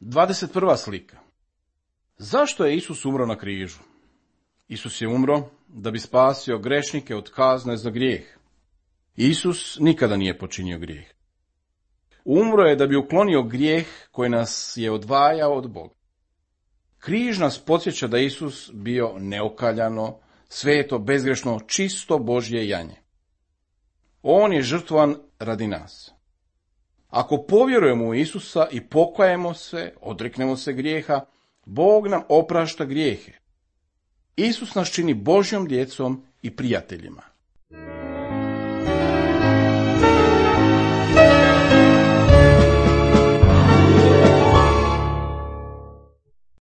21. slika. Zašto je Isus umro na križu? Isus je umro da bi spasio grešnike od kazne za grijeh. Isus nikada nije počinio grijeh. Umro je da bi uklonio grijeh koji nas je odvajao od Boga. Križ nas podsjeća da Isus bio neokaljano, sveto, bezgrešno, čisto Božje janje. On je žrtvovan radi nas. Ako povjerujemo u Isusa i pokajemo se, odreknemo se grijeha, Bog nam oprašta grijehe. Isus nas čini Božjom djecom i prijateljima.